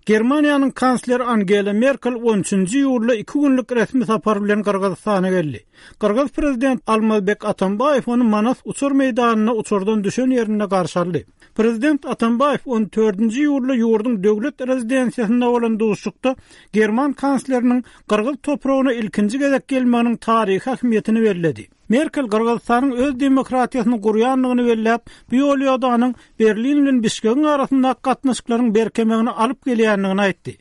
Germaniýanyň kansleri Angela Merkel on üçünji iýulda iki günlük resmi sapar bilen Gyrgyzystana geldi. Gyrgyz prezident Almazbek Atambaýew ony Manas uçar meýdanynda uçardan düşen ýerinde garşy aldy. Prezident Atambaýew on dördünji iýulda ýurduň döwlet rezidensiýasynda bolan duşuşykda german kansleriniň gyrgyz topragyna ilkinji gezek gelmeginiň taryhy ähmiýetini belledi. Merkel Gyrgyzystanyň öz demokratiýasyny gurýandygyny belläp, bu ýol-ýodanyň Berlin bilen Bişkegiň arasyndaky gatnaşyklaryň berkemegine alyp gelýändigini aýtdy.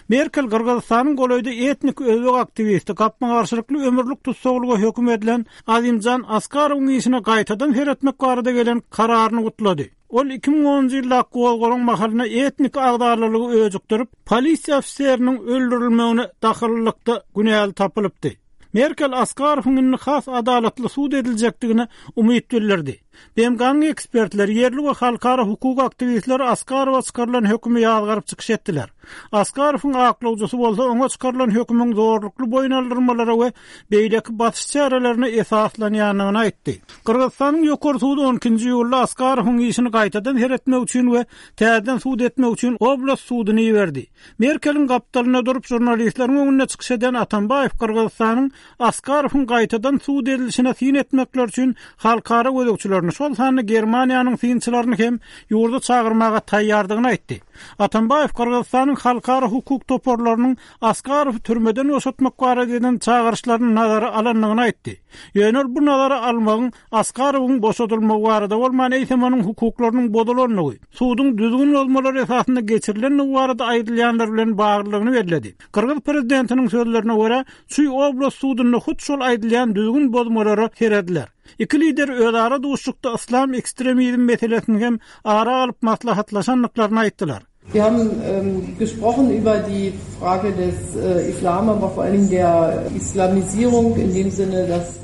Merkel Gyrgyzystanyň golaýda etnik özbek aktiwisti, gapma-garşylykly ömürlik tussaglyga höküm edilen Azimjan Askarowyň işine gaýtadan seretmek barada gelen kararyny gutlady. Ol 2010-njy ýyldaky gozgalaň mahalynda etnik agzalalygy öjükdirip, polisiýa ofiseriniň öldürilmegine dahyllylykda günäli tapylypdy. Merkel Askarowyň indi has adalatly sud ediljekdigine umyt bildirdi. BMG-niň ekspertleri, ýerli we halkara hukuk aktiwistleri Askarowa çykarylan hökümi ýazgaryp çykyş etdiler. Askarowyň aklawjysy bolsa oňa çykarylan hökümiň zorlukly boýun aldyrmalara we beýleki basyş çärelerine esaslanýandygyny aýtdy. Gyrgyzystanyň Ýokary sudy on ikinji iýulda Askarowyň işini gaýtadan seretmek üçin we täzeden sud etmek üçin oblast suduny iberdi. Merkeliň gapdalynda durup žurnalistleriň öňünde çykyş eden Atambaýew Gyrgyzystanyň Askarowyň gaýtadan sud edilişine syn etmekleri üçin halkara gözegçilerini, şol sanda Germaniýanyň synçylaryny hem ýurda çagyrmaga taýýardygyny aýtdy. Atambaýew Gyrgyzystanyň halkara hukuk toparlarynyň Askarowy türmeden boşatmak barada eden çagyryşlaryny nazara alandygyny aýtdy. Ýöne ol bu nazara almagyň Askarowyň boşadylmagy barada bolman, eýsem onuň hukuklarynyň bozulandygy, suduň düzgün bozmalary esasynda geçirilendigi barada aýdylýanlar bilen baglydygyny belledi. Gyrgyz prezidentiniň sözlerine görä, Çuý oblast sudunda hut şol aýdylýan düzgün bozmalara serediler. Iki lider özara duşuşykda yslam ekstremizm meselesini hem ara alyp maslahatlaşandyklaryny aýtdylar. Wir haben gesprochen über die Frage des Islam, aber vor allen Dingen der Islamisierung in dem Sinne, dass.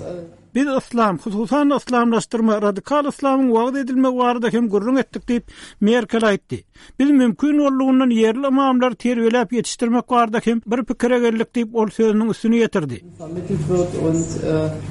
Biz yslam, hususan-da yslamlaşdyrma, radikal yslamyň wagyz edilmegi barada hem gürrüň etdik diýip, Merkel aýtdy. Biz mümkin boldugyndan ýerli ymamlary terbiýeläp ýetişdirmek barada hem bir pikire geldik diýip, ol sözüniň üstüni ýetirdi. Vermittelt wird und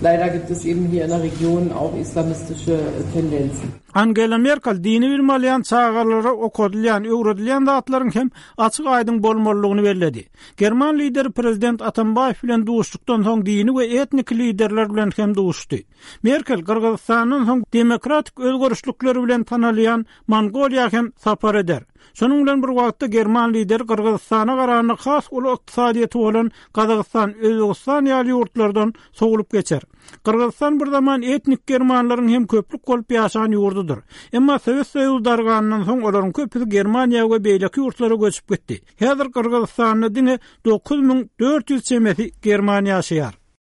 leider gibt es eben hier in der Region auch islamistische Tendenzen. Angela Merkel dini bilim alýan çagalara okadylýan, öwredilýän zatlaryň hem açyk-aýdyň bolmalydygyny belledi. German lideri prezident Atambaýew bilen duşuşykdan soň dini we etniki liderler bilen hem duşuşdy. Merkel Gyrgyzystandan soň demokratik özgerişlikleri bilen tanalýan Mongoliýa hem sapar eder. Şonuň bilen bir wagtda german lideri Gyrgyzystana garanda has uly ykdysadyýeti bolan Gazagystan, Özbegistan ýaly ýurtlardan sowlup geçer. Gyrgyzystan bir zaman etnik germanlaryň hem köplük bolup ýaşan ýurdudyr. Emma Sowet Soýuzy darganyndan soň olaryň köpüsi Germaniýa we beýleki ýurtlara göçüp gitdi. Häzir Gyrgyzystanda diňe 9400 çemesi german ýaşaýar.